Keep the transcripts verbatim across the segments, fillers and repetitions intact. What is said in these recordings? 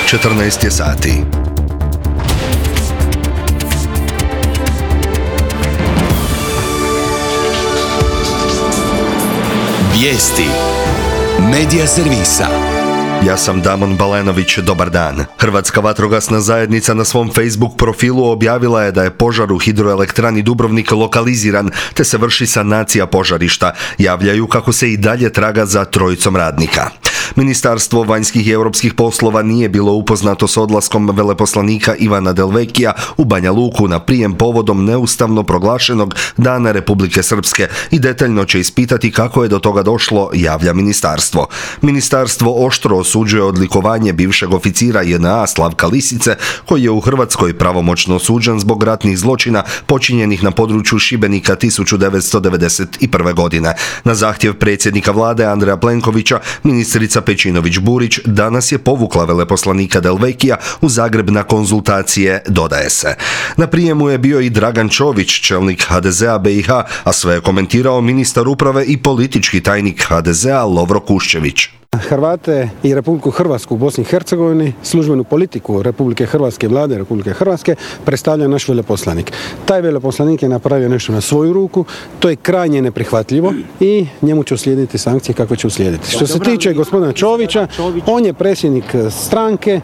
četrnaest je sati. Vijesti Medija servisa. Ja sam Damon Balenović, dobar dan. Hrvatska vatrogasna zajednica na svom Facebook profilu objavila je da je požar u hidroelektrani Dubrovnik lokaliziran, te se vrši sanacija požarišta. Javljaju kako se i dalje traga za trojicom radnika. Ministarstvo vanjskih i europskih poslova nije bilo upoznato s odlaskom veleposlanika Ivana Delvekija u Banja Luku na prijem povodom neustavno proglašenog Dana Republike Srpske i detaljno će ispitati kako je do toga došlo, javlja ministarstvo. Ministarstvo oštro osuđuje odlikovanje bivšeg oficira J N A Slavka Lisice, koji je u Hrvatskoj pravomoćno osuđen zbog ratnih zločina počinjenih na području Šibenika tisuću devetsto devedeset prve. godine. Na zahtjev predsjednika vlade Andreja Plenkovića, ministrica Pejčinović Burić danas je povukla veleposlanika Delvekija u Zagreb na konzultacije, dodaje se. Na prijemu je bio i Dragan Čović, čelnik H D Z a B i H, a sve je komentirao ministar uprave i politički tajnik H D Z a Lovro Kuščević. Hrvate i Republiku Hrvatsku u Bosni i Hercegovini, službenu politiku Republike Hrvatske, vlade Republike Hrvatske, predstavlja naš veleposlanik. Taj veleposlanik je napravio nešto na svoju ruku, to je krajnje neprihvatljivo i njemu će uslijediti sankcije kako će uslijediti. Što se tiče gospodina Čovića, on je predsjednik stranke,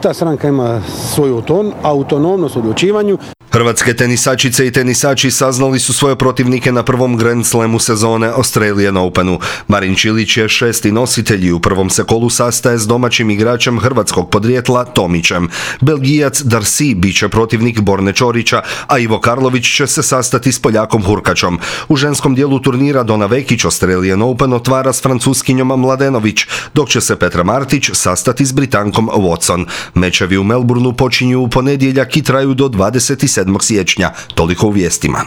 ta stranka ima svoju autonomnost u odlučivanju. Hrvatske tenisačice i tenisači saznali su svoje protivnike na prvom Grand Slamu sezone Australian Openu. Marin Čilić je šesti nositelj i u prvom se kolu sastaje s domaćim igračem hrvatskog podrijetla Tomićem. Belgijac Darcy bit će protivnik Borne Čorića, a Ivo Karlović će se sastati s Poljakom Hurkačom. U ženskom dijelu turnira Dona Vekić Australian Open otvara s Francuskinjom Mladenović, dok će se Petra Martić sastati s Britankom Watson. Mečevi u Melbourneu počinju u ponedjeljak i traju do dvadeset sedmog siječnja. Toliko u vijestima.